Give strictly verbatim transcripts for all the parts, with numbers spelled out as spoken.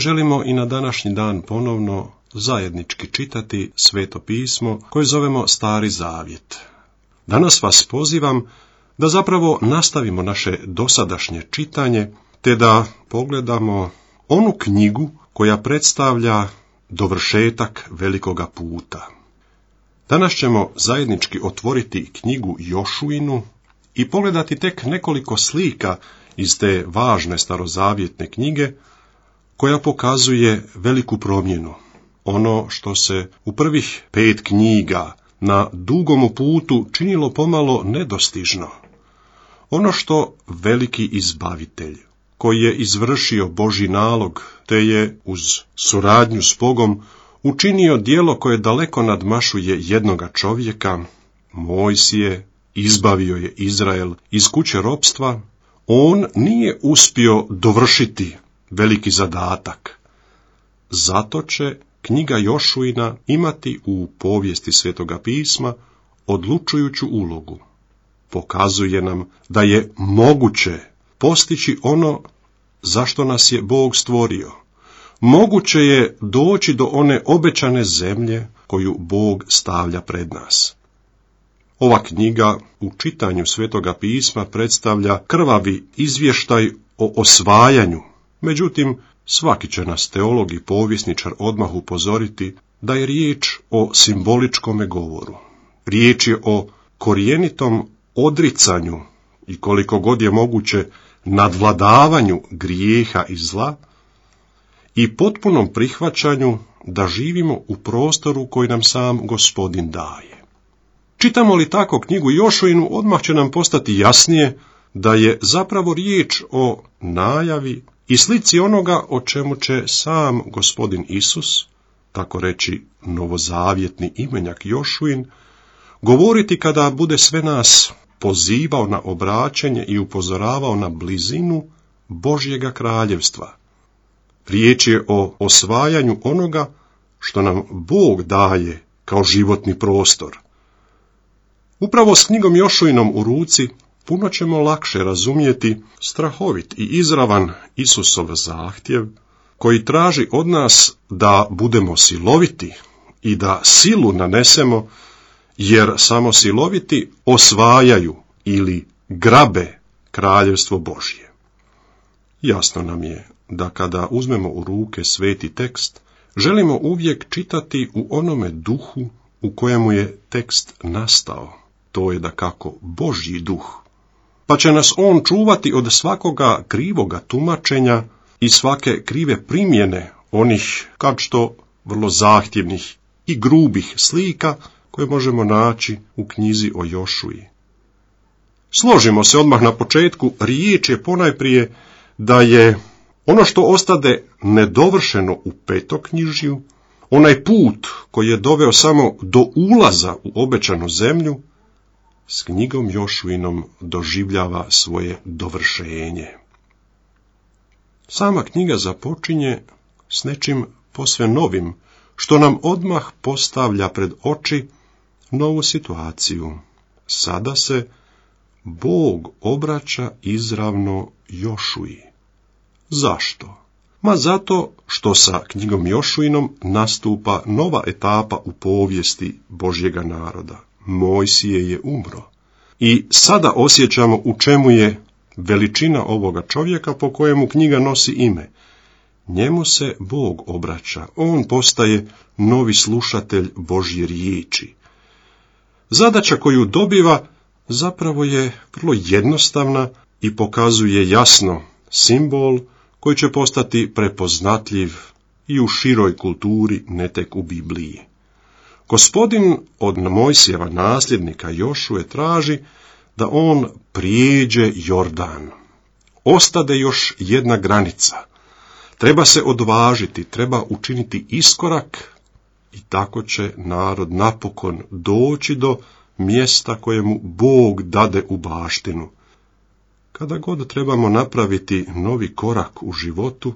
Želimo i na današnji dan ponovno zajednički čitati Sveto pismo koje zovemo Stari Zavjet. Danas vas pozivam da zapravo nastavimo naše dosadašnje čitanje, te da pogledamo onu knjigu koja predstavlja dovršetak velikoga puta. Danas ćemo zajednički otvoriti knjigu Jošuinu i pogledati tek nekoliko slika iz te važne starozavjetne knjige, koja pokazuje veliku promjenu. Ono što se u prvih pet knjiga na dugomu putu činilo pomalo nedostižno. Ono što veliki izbavitelj, koji je izvršio Božji nalog, te je uz suradnju s Bogom učinio djelo koje daleko nadmašuje jednoga čovjeka, Mojsije, izbavio je Izrael iz kuće ropstva, on nije uspio dovršiti veliki zadatak. Zato će knjiga Jošuina imati u povijesti Svetoga pisma odlučujuću ulogu. Pokazuje nam da je moguće postići ono zašto nas je Bog stvorio. Moguće je doći do one obećane zemlje koju Bog stavlja pred nas. Ova knjiga u čitanju Svetoga pisma predstavlja krvavi izvještaj o osvajanju. Međutim, svaki će nas teolog i povjesničar odmah upozoriti da je riječ o simboličkome govoru. Riječ je o korijenitom odricanju i koliko god je moguće nadvladavanju grijeha i zla i potpunom prihvaćanju da živimo u prostoru koji nam sam Gospodin daje. Čitamo li tako knjigu Jošuinu, odmah će nam postati jasnije da je zapravo riječ o najavi i slici onoga o čemu će sam Gospodin Isus, tako reći novozavjetni imenjak Jošuin, govoriti kada bude sve nas pozivao na obraćanje i upozoravao na blizinu Božjega kraljevstva. Riječ je o osvajanju onoga što nam Bog daje kao životni prostor. Upravo s knjigom Jošuinom u ruci puno ćemo lakše razumjeti strahovit i izravan Isusov zahtjev, koji traži od nas da budemo siloviti i da silu nanesemo, jer samo siloviti osvajaju ili grabe kraljevstvo Božje. Jasno nam je da kada uzmemo u ruke sveti tekst, želimo uvijek čitati u onome duhu u kojemu je tekst nastao. To je dakako Božji duh. Pa će nas on čuvati od svakoga krivoga tumačenja i svake krive primjene onih, kad što, vrlo zahtjevnih i grubih slika koje možemo naći u knjizi o Jošuji. Složimo se odmah na početku, riječ je ponajprije da je ono što ostade nedovršeno u petoknjižju, onaj put koji je doveo samo do ulaza u obećanu zemlju, s knjigom Jošuinom doživljava svoje dovršenje. Sama knjiga započinje s nečim posve novim, što nam odmah postavlja pred oči novu situaciju. Sada se Bog obraća izravno Jošuji. Zašto? Ma zato što sa knjigom Jošuinom nastupa nova etapa u povijesti Božjega naroda. Mojsije je umro. I sada osjećamo u čemu je veličina ovoga čovjeka po kojemu knjiga nosi ime. Njemu se Bog obraća, on postaje novi slušatelj Božje riječi. Zadaća koju dobiva zapravo je vrlo jednostavna i pokazuje jasno simbol koji će postati prepoznatljiv i u široj kulturi, ne tek u Bibliji. Gospodin od Mojsijeva nasljednika Jošuje traži da on prijeđe Jordan. Ostade još jedna granica. Treba se odvažiti, treba učiniti iskorak i tako će narod napokon doći do mjesta kojemu Bog dade u baštinu. Kada god trebamo napraviti novi korak u životu,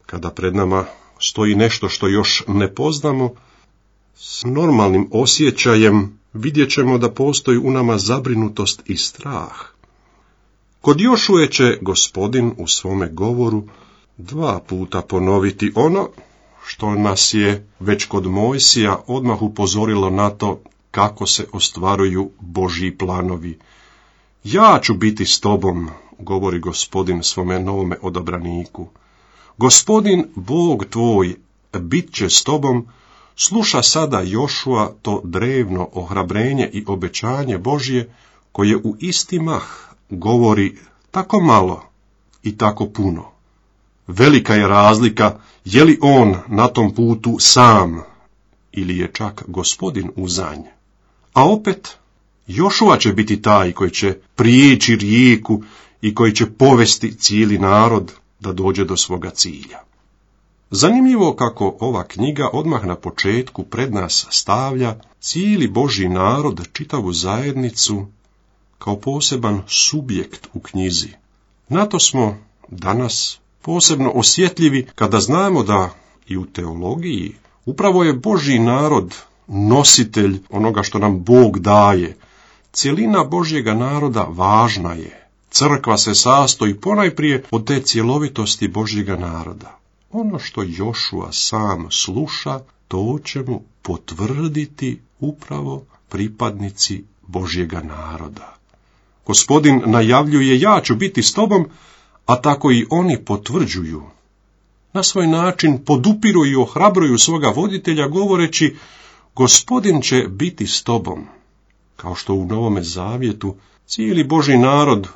kada pred nama stoji nešto što još ne poznamo, s normalnim osjećajem vidjet ćemo da postoji u nama zabrinutost i strah. Kod Jošuje će Gospodin u svome govoru dva puta ponoviti ono što nas je već kod Mojsija odmah upozorilo na to kako se ostvaruju Božji planovi. Ja ću biti s tobom, govori Gospodin svome novome odabraniku. Gospodin, Bog tvoj, bit će s tobom. Sluša sada Jošua to drevno ohrabrenje i obećanje Božje, koje u isti mah govori tako malo i tako puno. Velika je razlika je li on na tom putu sam ili je čak Gospodin uzanj. A opet, Jošua će biti taj koji će prijeći rijeku i koji će povesti cijeli narod da dođe do svoga cilja. Zanimljivo kako ova knjiga odmah na početku pred nas stavlja cijeli Božji narod, čitavu zajednicu, kao poseban subjekt u knjizi. Na to smo danas posebno osjetljivi kada znamo da i u teologiji upravo je Božji narod nositelj onoga što nam Bog daje. Cjelina Božjega naroda važna je. Crkva se sastoji ponajprije od te cjelovitosti Božjega naroda. Ono što Jošua sam sluša, to će mu potvrditi upravo pripadnici Božjega naroda. Gospodin najavljuje, ja ću biti s tobom, a tako i oni potvrđuju. Na svoj način podupiru i ohrabruju svoga voditelja govoreći, Gospodin će biti s tobom. Kao što u Novome Zavjetu cijeli Božji narod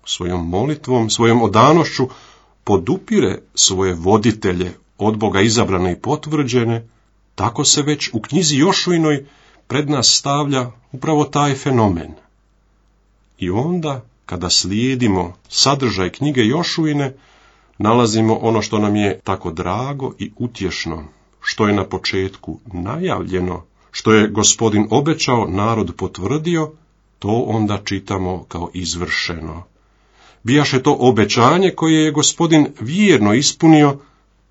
svojom molitvom, svojom odanošću podupire svoje voditelje, od Boga izabrane i potvrđene, tako se već u knjizi Jošuinoj pred nas stavlja upravo taj fenomen. I onda, kada slijedimo sadržaj knjige Jošuine, nalazimo ono što nam je tako drago i utješno, što je na početku najavljeno, što je Gospodin obećao, narod potvrdio, to onda čitamo kao izvršeno. Bijaše to obećanje koje je Gospodin vjerno ispunio,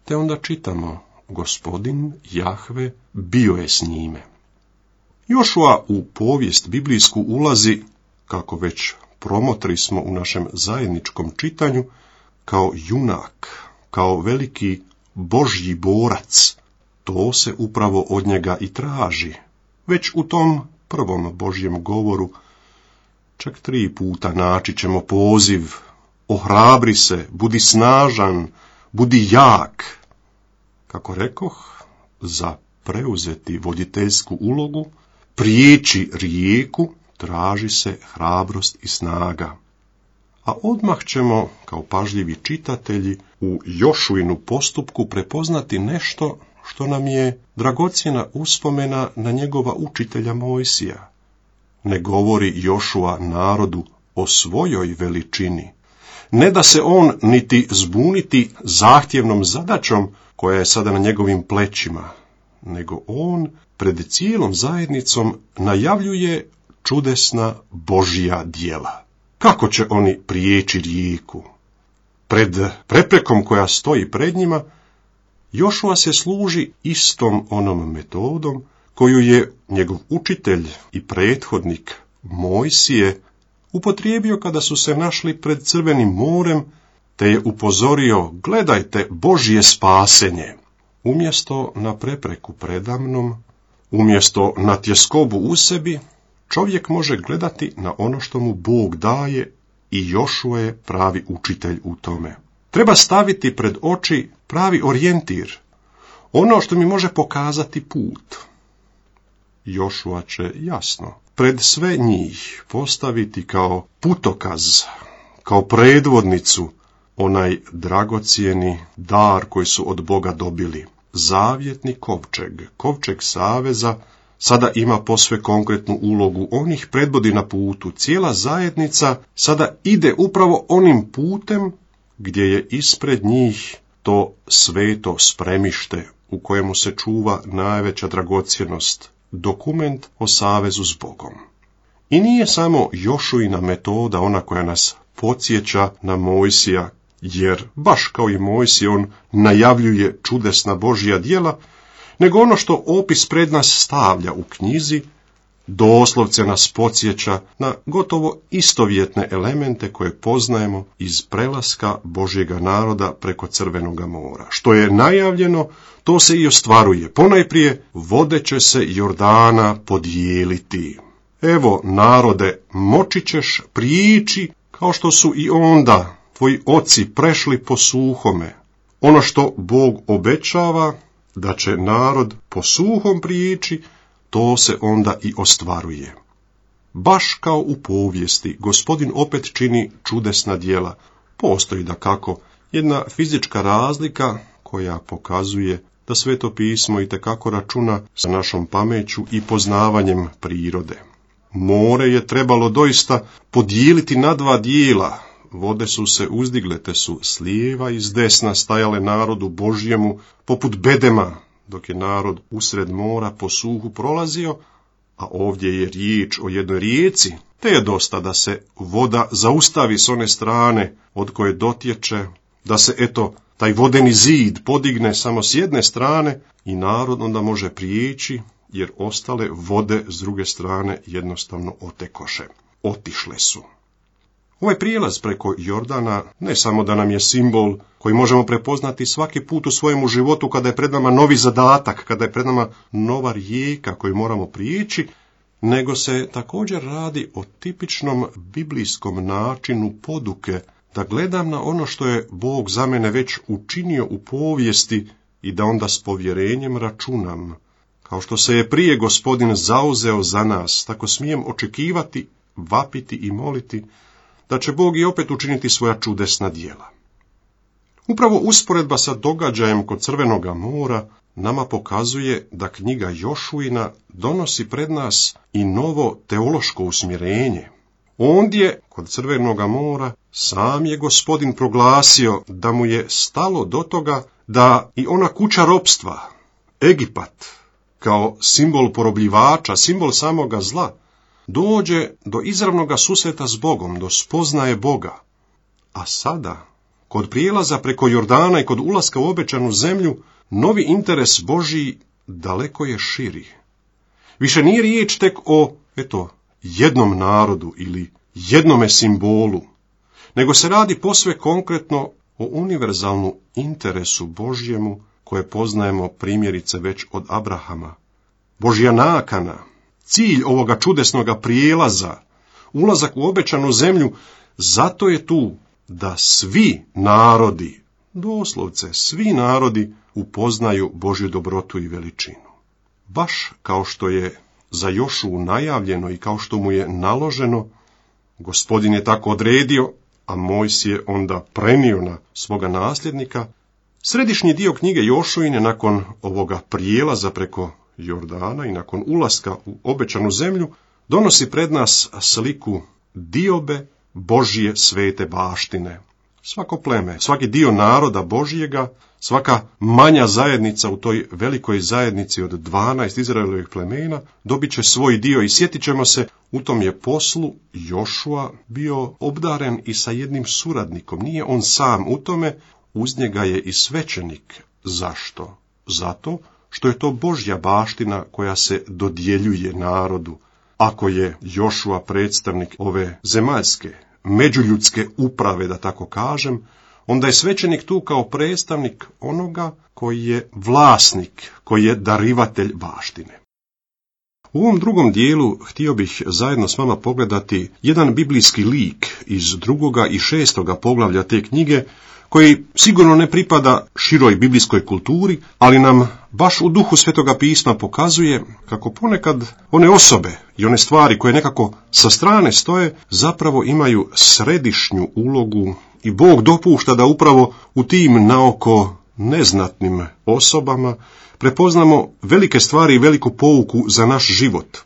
te onda čitamo, Gospodin Jahve bio je s njime. Jošua u povijest biblijsku ulazi, kako već promotri smo u našem zajedničkom čitanju, kao junak, kao veliki Božji borac. To se upravo od njega i traži. Već u tom prvom Božjem govoru čak tri puta naći ćemo poziv, ohrabri se, budi snažan, budi jak. Kako rekoh, za preuzeti voditeljsku ulogu, prijeći rijeku, traži se hrabrost i snaga. A odmah ćemo, kao pažljivi čitatelji, u Jošuinu postupku prepoznati nešto što nam je dragocjena uspomena na njegova učitelja Mojsija. Ne govori Jošua narodu o svojoj veličini. Ne da se on niti zbuniti zahtjevnom zadaćom koja je sada na njegovim plećima, nego on pred cijelom zajednicom najavljuje čudesna Božja djela. Kako će oni prijeći rijeku? Pred preprekom koja stoji pred njima, Jošua se služi istom onom metodom koju je njegov učitelj i prethodnik Mojsije upotrijebio kada su se našli pred Crvenim morem, te je upozorio, gledajte Božje spasenje. Umjesto na prepreku predamnom, umjesto na tjeskobu u sebi, čovjek može gledati na ono što mu Bog daje i Jošua je pravi učitelj u tome. Treba staviti pred oči pravi orijentir, ono što mi može pokazati put. Jošua će jasno pred sve njih postaviti kao putokaz, kao predvodnicu, onaj dragocjeni dar koji su od Boga dobili. Zavjetni kovčeg, kovčeg saveza, sada ima posve konkretnu ulogu. On ih predvodi na putu. Cijela zajednica sada ide upravo onim putem gdje je ispred njih to sveto spremište u kojemu se čuva najveća dragocjenost, dokument o savezu s Bogom. I nije samo Jošuina metoda ona koja nas podsjeća na Mojsija, jer baš kao i Mojsije on najavljuje čudesna Božja djela, nego ono što opis pred nas stavlja u knjizi, doslovce nas podsjeća na gotovo istovjetne elemente koje poznajemo iz prelaska Božjega naroda preko Crvenoga mora. Što je najavljeno, to se i ostvaruje. Ponajprije, vode će se Jordana podijeliti. Evo, narode, moći ćeš prići kao što su i onda tvoji oci prešli po suhome. Ono što Bog obećava, da će narod po suhom prići, to se onda i ostvaruje. Baš kao u povijesti, Gospodin opet čini čudesna djela. Postoji dakako jedna fizička razlika koja pokazuje da Sveto pismo itekako računa sa našom pameću i poznavanjem prirode. More je trebalo doista podijeliti na dva dijela. Vode su se uzdigle, te su s lijeva i s desna stajale narodu Božjemu poput bedema, dok je narod usred mora po suhu prolazio, a ovdje je riječ o jednoj rijeci, te je dosta da se voda zaustavi s one strane od koje dotječe, da se eto taj vodeni zid podigne samo s jedne strane i narod onda može prijeći, jer ostale vode s druge strane jednostavno otekoše, otišle su. Ovaj prijelaz preko Jordana ne samo da nam je simbol koji možemo prepoznati svaki put u svojemu životu kada je pred nama novi zadatak, kada je pred nama nova rijeka koju moramo prijeći, nego se također radi o tipičnom biblijskom načinu poduke, da gledam na ono što je Bog za mene već učinio u povijesti i da onda s povjerenjem računam. Kao što se je prije Gospodin zauzeo za nas, tako smijem očekivati, vapiti i moliti da će Bog i opet učiniti svoja čudesna djela. Upravo usporedba sa događajem kod Crvenoga mora nama pokazuje da knjiga Jošuina donosi pred nas i novo teološko usmjerenje. Ondje, kod Crvenoga mora, sam je Gospodin proglasio da mu je stalo do toga da i ona kuća ropstva, Egipat, kao simbol porobljivača, simbol samoga zla, dođe do izravnoga susreta s Bogom, do spoznaje Boga. A sada, kod prijelaza preko Jordana i kod ulaska u obećanu zemlju, novi interes Božji daleko je širi. Više nije riječ tek o, eto, jednom narodu ili jednome simbolu, nego se radi posve konkretno o univerzalnom interesu Božjemu koje poznajemo primjerice već od Abrahama. Božja nakana, cilj ovoga čudesnoga prijelaza, ulazak u obećanu zemlju, zato je tu da svi narodi, doslovce svi narodi, upoznaju Božju dobrotu i veličinu. Baš kao što je za Jošu najavljeno i kao što mu je naloženo, Gospodin je tako odredio, a Mojsije je onda prenio na svoga nasljednika. Središnji dio knjige Jošuine nakon ovoga prijelaza preko Jordana i nakon ulaska u obećanu zemlju donosi pred nas sliku diobe Božje svete baštine. Svako pleme, svaki dio naroda Božjega, svaka manja zajednica u toj velikoj zajednici od dvanaest Izraelovih plemena dobit će svoj dio i sjetit ćemo se, u tom je poslu Jošua bio obdaren i sa jednim suradnikom. Nije on sam u tome, uz njega je i svećenik. Zašto? Zato što je to Božja baština koja se dodjeljuje narodu. Ako je Jošua predstavnik ove zemaljske, međuljudske uprave, da tako kažem, onda je svećenik tu kao predstavnik onoga koji je vlasnik, koji je darivatelj baštine. U ovom drugom dijelu htio bih zajedno s vama pogledati jedan biblijski lik iz drugoga i šestoga poglavlja te knjige, koji sigurno ne pripada široj biblijskoj kulturi, ali nam baš u duhu Svetoga pisma pokazuje kako ponekad one osobe i one stvari koje nekako sa strane stoje zapravo imaju središnju ulogu i Bog dopušta da upravo u tim naoko neznatnim osobama prepoznamo velike stvari i veliku pouku za naš život.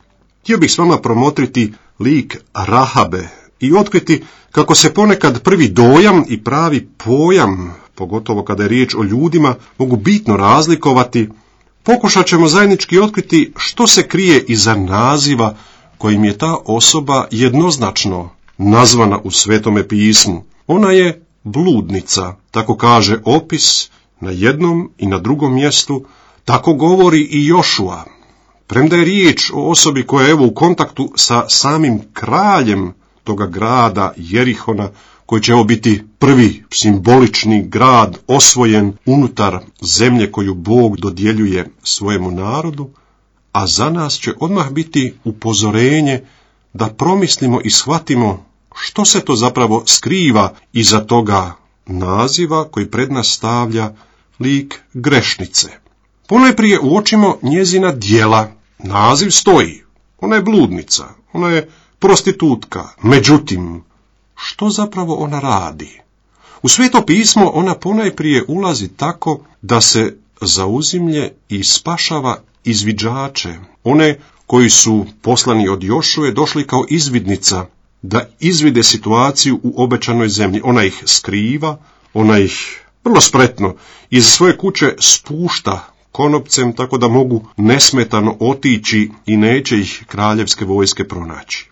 Htio bih s vama promotriti lik Rahabe i otkriti kako se ponekad prvi dojam i pravi pojam, pogotovo kada je riječ o ljudima, mogu bitno razlikovati. Pokušat ćemo zajednički otkriti što se krije iza naziva kojim je ta osoba jednoznačno nazvana u Svetome pismu. Ona je bludnica, tako kaže opis na jednom i na drugom mjestu, tako govori i Jošua. Premda je riječ o osobi koja je evo u kontaktu sa samim kraljem toga grada Jerihona, koji će evo biti prvi simbolični grad osvojen unutar zemlje koju Bog dodjeljuje svojemu narodu, a za nas će odmah biti upozorenje da promislimo i shvatimo što se to zapravo skriva iza toga naziva koji pred nas stavlja lik grešnice. Ponajprije uočimo njezina djela. Naziv stoji. Ona je bludnica, ona je prostitutka. Međutim, što zapravo ona radi? U Sveto pismo ona ponajprije ulazi tako da se zauzimlje i spašava izviđače, one koji su poslani od Jošuje došli kao izvidnica da izvide situaciju u obećanoj zemlji. Ona ih skriva, ona ih vrlo spretno iz svoje kuće spušta konopcem tako da mogu nesmetano otići i neće ih kraljevske vojske pronaći.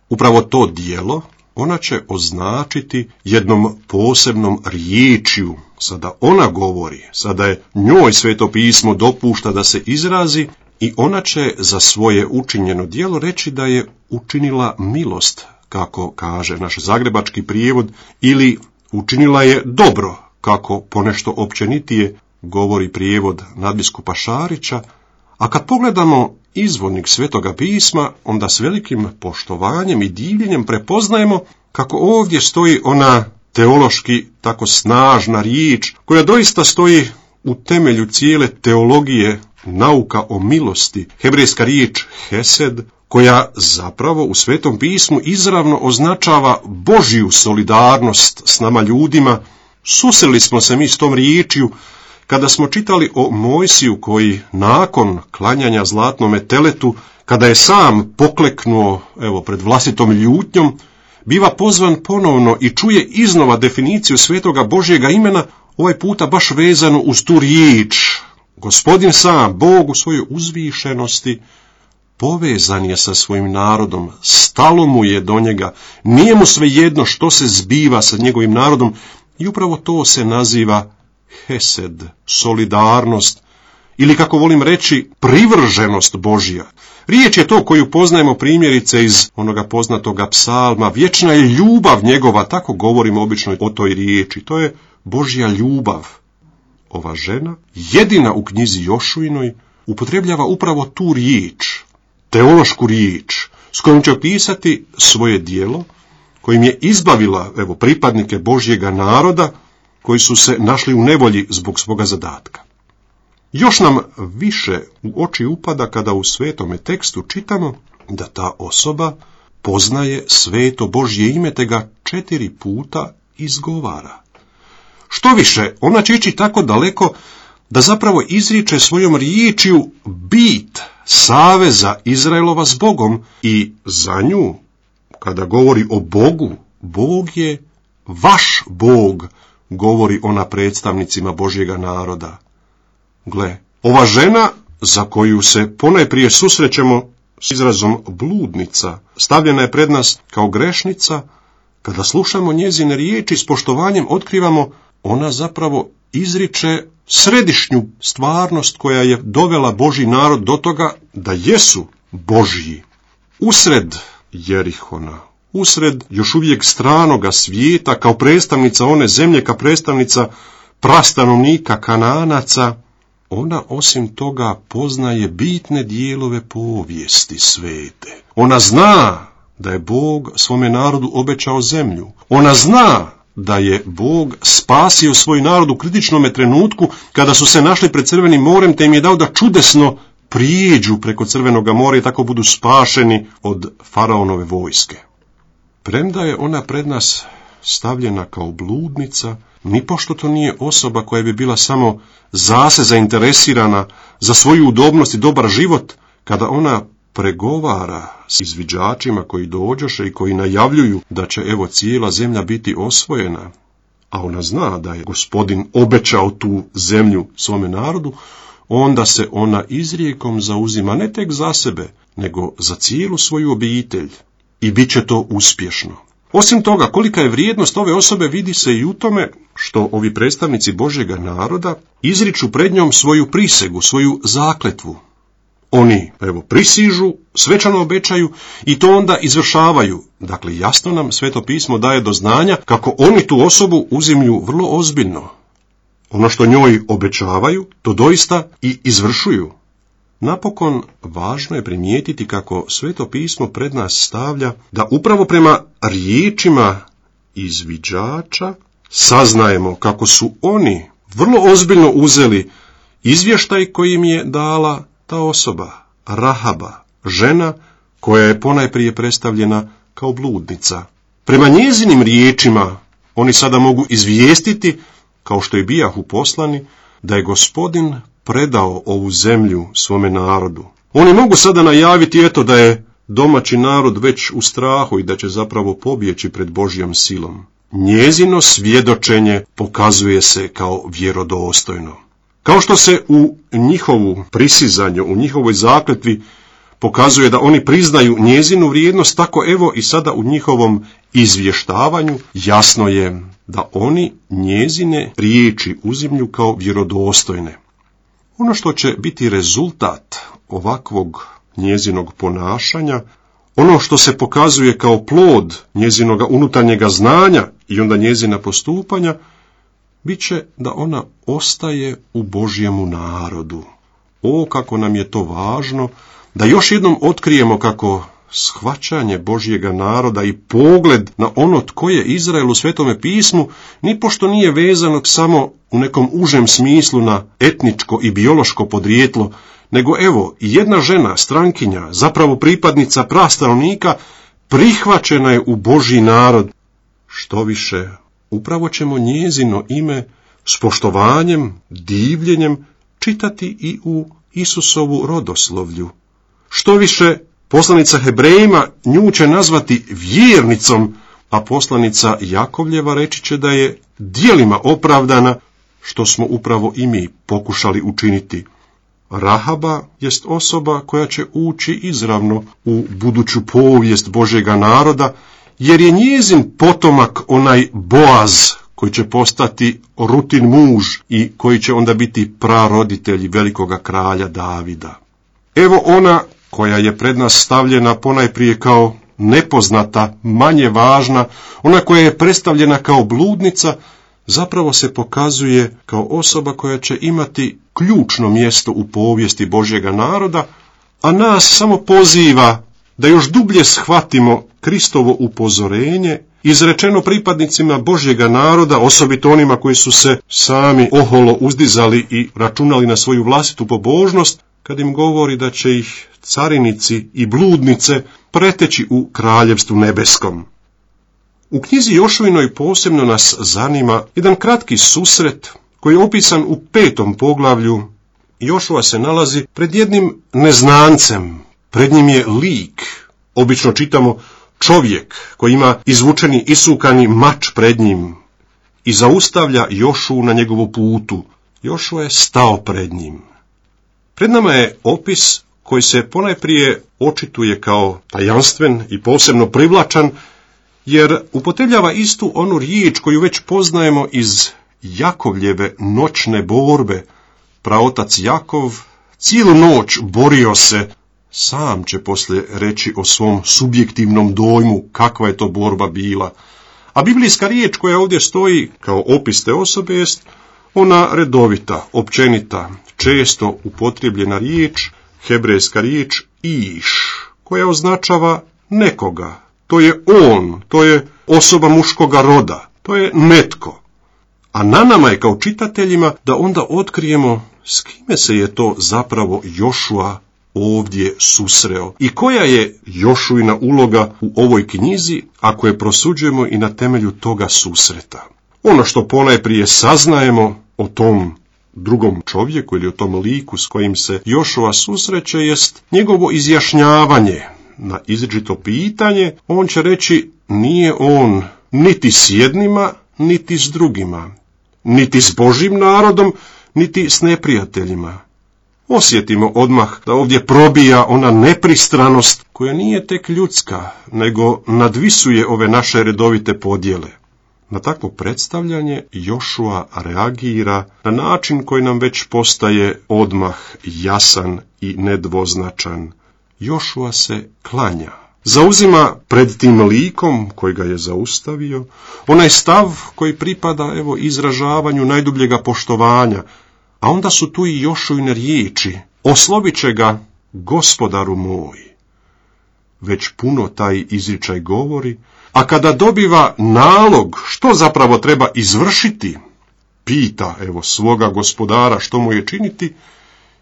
Upravo to djelo ona će označiti jednom posebnom riječju. Sada ona govori, sada je njoj Sveto pismo dopušta da se izrazi i ona će za svoje učinjeno djelo reći da je učinila milost, kako kaže naš zagrebački prijevod, ili učinila je dobro, kako ponešto općenitije govori prijevod nadbiskupa Šarića. A kad pogledamo izvornik Svetoga pisma, onda s velikim poštovanjem i divljenjem prepoznajemo kako ovdje stoji ona teološki tako snažna riječ, koja doista stoji u temelju cijele teologije, nauka o milosti, hebrejska riječ hesed, koja zapravo u Svetom pismu izravno označava Božju solidarnost s nama ljudima. Susreli smo se mi s tom riječju kada smo čitali o Mojsiju koji nakon klanjanja zlatnome teletu, kada je sam pokleknuo evo pred vlastitom ljutnjom, biva pozvan ponovno i čuje iznova definiciju svetoga Božjega imena, ovaj puta baš vezano uz tu riječ. Gospodin sam, Bog u svojoj uzvišenosti, povezan je sa svojim narodom, stalo mu je do njega, nije mu svejedno što se zbiva sa njegovim narodom i upravo to se naziva hesed, solidarnost, ili kako volim reći, privrženost Božja. Riječ je to koju poznajemo primjerice iz onoga poznatoga psalma, vječna je ljubav njegova, tako govorimo obično o toj riječi, to je Božja ljubav. Ova žena, jedina u knjizi Jošuinoj, upotrebljava upravo tu riječ, teološku riječ, s kojom će opisati svoje djelo, kojim je izbavila evo, pripadnike Božjega naroda, koji su se našli u nevolji zbog svoga zadatka. Još nam više u oči upada kada u svetome tekstu čitamo da ta osoba poznaje sveto Božje ime te ga četiri puta izgovara. Što više, ona će ići tako daleko da zapravo izriče svojom riječju bit saveza Izraelova s Bogom i za nju, kada govori o Bogu, Bog je vaš Bog, govori ona predstavnicima Božjega naroda. Gle, ova žena za koju se ponajprije susrećemo s izrazom bludnica, stavljena je pred nas kao grešnica. Kada slušamo njezine riječi s poštovanjem otkrivamo, ona zapravo izriče središnju stvarnost koja je dovela Božji narod do toga da jesu Božji. Usred Jerihona, usred još uvijek stranoga svijeta, kao predstavnica one zemlje, kao predstavnica prastanovnika Kanaanaca, ona osim toga poznaje bitne dijelove povijesti svete. Ona zna da je Bog svome narodu obećao zemlju. Ona zna da je Bog spasio svoj narod u kritičnome trenutku kada su se našli pred Crvenim morem, te im je dao da čudesno prijeđu preko Crvenoga mora i tako budu spašeni od faraonove vojske. Premda je ona pred nas stavljena kao bludnica, nipošto to nije osoba koja bi bila samo zase zainteresirana za svoju udobnost i dobar život, kada ona pregovara s izviđačima koji dođoše i koji najavljuju da će evo cijela zemlja biti osvojena, a ona zna da je Gospodin obećao tu zemlju svome narodu, onda se ona izrijekom zauzima ne tek za sebe, nego za cijelu svoju obitelj i bit će to uspješno. Osim toga, kolika je vrijednost ove osobe vidi se i u tome što ovi predstavnici Božjega naroda izriču pred njom svoju prisegu, svoju zakletvu. Oni, evo, prisižu, svečano obećaju i to onda izvršavaju. Dakle, jasno nam Sveto pismo daje do znanja kako oni tu osobu uzimlju vrlo ozbiljno. Ono što njoj obećavaju, to doista i izvršuju. Napokon, važno je primijetiti kako Sveto pismo pred nas stavlja da upravo prema riječima izviđača saznajemo kako su oni vrlo ozbiljno uzeli izvještaj koji im je dala ta osoba, Rahaba, žena koja je ponajprije predstavljena kao bludnica. Prema njezinim riječima oni sada mogu izvijestiti, kao što i bijahu poslani, da je Gospodin predao ovu zemlju svome narodu. Oni mogu sada najaviti, eto, da je domaći narod već u strahu i da će zapravo pobjeći pred Božjom silom. Njezino svjedočenje pokazuje se kao vjerodostojno. Kao što se u njihovu prisizanju, u njihovoj zakletvi pokazuje da oni priznaju njezinu vrijednost, tako evo i sada u njihovom izvještavanju jasno je da oni njezine riječi uzimlju kao vjerodostojne. Ono što će biti rezultat ovakvog njezinog ponašanja, ono što se pokazuje kao plod njezinoga unutarnjega znanja i onda njezina postupanja, bit će da ona ostaje u Božjemu narodu. O, kako nam je to važno, da još jednom otkrijemo kako shvaćanje Božjega naroda i pogled na ono tko je Izrael u Svetome pismu, nipošto nije vezano samo u nekom užem smislu na etničko i biološko podrijetlo, nego evo, jedna žena, strankinja, zapravo pripadnica prastanovnika, prihvaćena je u Božji narod. Što više, upravo ćemo njezino ime s poštovanjem, divljenjem čitati i u Isusovu rodoslovlju. Što više, poslanica Hebrejima nju će nazvati vjernicom, a poslanica Jakovljeva reći će da je djelima opravdana, što smo upravo i mi pokušali učiniti. Rahaba jest osoba koja će ući izravno u buduću povijest Božjega naroda, jer je njezin potomak onaj Boaz, koji će postati Rutin muž i koji će onda biti praroditelj velikoga kralja Davida. Evo ona koja je pred nas stavljena ponajprije kao nepoznata, manje važna, ona koja je predstavljena kao bludnica, zapravo se pokazuje kao osoba koja će imati ključno mjesto u povijesti Božjega naroda, a nas samo poziva da još dublje shvatimo Kristovo upozorenje izrečeno pripadnicima Božjega naroda, osobito onima koji su se sami oholo uzdizali i računali na svoju vlastitu pobožnost, kad im govori da će ih carinici i bludnice preteći u kraljevstvu nebeskom. U knjizi Jošuinoj posebno nas zanima jedan kratki susret koji je opisan u petom poglavlju. Jošua se nalazi pred jednim neznancem, pred njim je lik, obično čitamo čovjek koji ima izvučeni isukani mač pred njim i zaustavlja Jošu na njegovu putu. Jošua je stao pred njim. Pred nama je opis koji se ponajprije očituje kao tajanstven i posebno privlačan, jer upotrebljava istu onu riječ koju već poznajemo iz Jakovljeve noćne borbe. Praotac Jakov cijelu noć borio se, sam će poslije reći o svom subjektivnom dojmu kakva je to borba bila. A biblijska riječ koja ovdje stoji kao opis te osobe jest ona redovita, općenita, često upotrijebljena riječ, hebrejska riječ iš, koja označava nekoga. To je on, to je osoba muškoga roda, to je netko. A na nama je kao čitateljima da onda otkrijemo s kime se je to zapravo Jošua ovdje susreo i koja je Jošuina uloga u ovoj knjizi ako je prosuđujemo i na temelju toga susreta. Ono što ponajprije saznajemo o tom drugom čovjeku ili o tom liku s kojim se Jošua susreće jest njegovo izjašnjavanje. Na izričito pitanje on će reći nije on niti s jednima, niti s drugima, niti s Božjim narodom, niti s neprijateljima. Osjetimo odmah da ovdje probija ona nepristranost koja nije tek ljudska, nego nadvisuje ove naše redovite podjele. Na takvo predstavljanje Jošua reagira na način koji nam već postaje odmah jasan i nedvoznačan. Jošua se klanja. Zauzima pred tim likom koji ga je zaustavio onaj stav koji pripada evo izražavanju najdubljega poštovanja, a onda su tu i Jošuine riječi: oslovit će ga gospodaru moj. Već puno taj izričaj govori, a kada dobiva nalog što zapravo treba izvršiti, pita evo svoga gospodara što mu je činiti,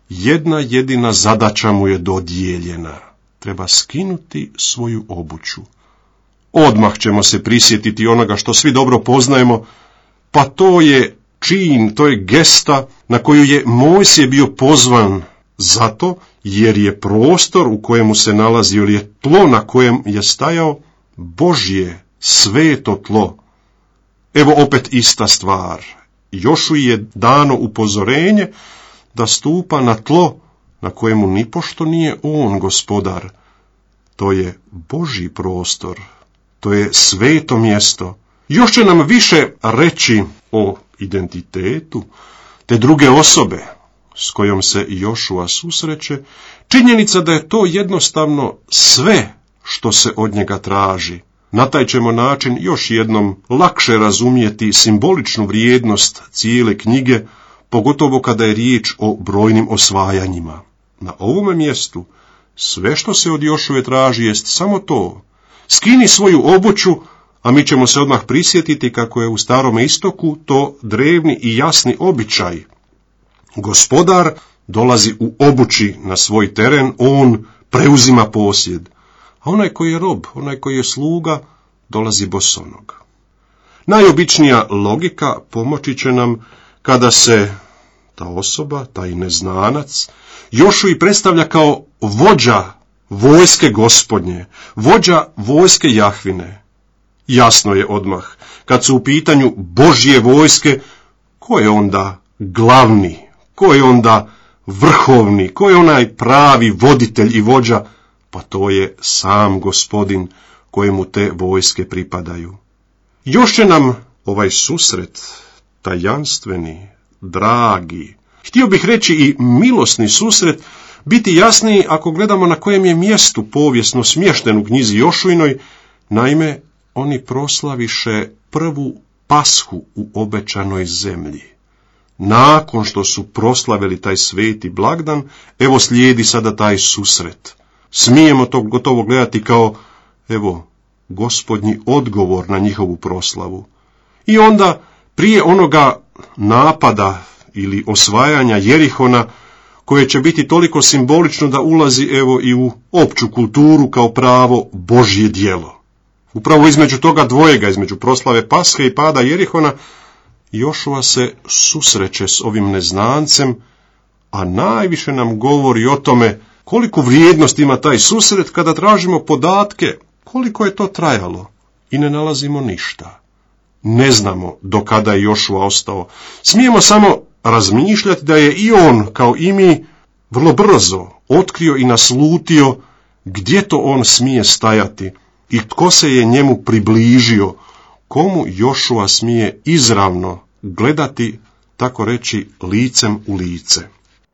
jedna jedina zadaća mu je dodijeljena. Treba skinuti svoju obuću. Odmah ćemo se prisjetiti onoga što svi dobro poznajemo, pa to je čin, to je gesta na koju je Mojsije bio pozvan, zato jer je prostor u kojemu se nalazio, ili je tlo na kojem je stajao, Božje sveto tlo. Evo opet ista stvar. Jošuji je dano upozorenje da stupa na tlo na kojemu nipošto nije on gospodar. To je Božji prostor, to je sveto mjesto. Još će nam više reći o identitetu te druge osobe s kojom se Jošua susreće, činjenica da je to jednostavno sve što se od njega traži. Na taj ćemo način još jednom lakše razumjeti simboličnu vrijednost cijele knjige, pogotovo kada je riječ o brojnim osvajanjima. Na ovome mjestu sve što se od Jošue traži jest samo to: skini svoju obuću, a mi ćemo se odmah prisjetiti kako je u Starome Istoku to drevni i jasni običaj. Gospodar dolazi u obući na svoj teren, on preuzima posjed, a onaj koji je rob, onaj koji je sluga, dolazi bosonog. Najobičnija logika pomoći će nam kada se ta osoba, taj neznanac, Jošui predstavlja kao vođa vojske Gospodnje, vođa vojske Jahvine. Jasno je odmah, kad su u pitanju Božje vojske, ko je onda glavni, ko je onda vrhovni, ko je onaj pravi voditelj i vođa? Pa to je sam Gospodin kojemu te vojske pripadaju. Još će nam ovaj susret, tajanstveni, dragi, htio bih reći i milosni susret, biti jasniji ako gledamo na kojem je mjestu povijesno smješten u knjizi Jošuinoj. Naime, oni proslaviše prvu pashu u obećanoj zemlji. Nakon što su proslavili taj sveti blagdan, evo slijedi sada taj susret. Smijemo to gotovo gledati kao, evo, Gospodnji odgovor na njihovu proslavu. I onda, prije onoga napada ili osvajanja Jerihona, koje će biti toliko simbolično da ulazi evo i u opću kulturu kao pravo Božje djelo. Upravo između toga dvojega, između proslave Pashe i pada Jerihona, Jošua se susreće s ovim neznancem, a najviše nam govori o tome koliku vrijednost ima taj susret kada tražimo podatke koliko je to trajalo i ne nalazimo ništa. Ne znamo do kada je Jošua ostao. Smijemo samo razmišljati da je i on, kao i mi, vrlo brzo otkrio i naslutio gdje to on smije stajati i tko se je njemu približio, komu Jošua smije izravno gledati, tako reći, licem u lice.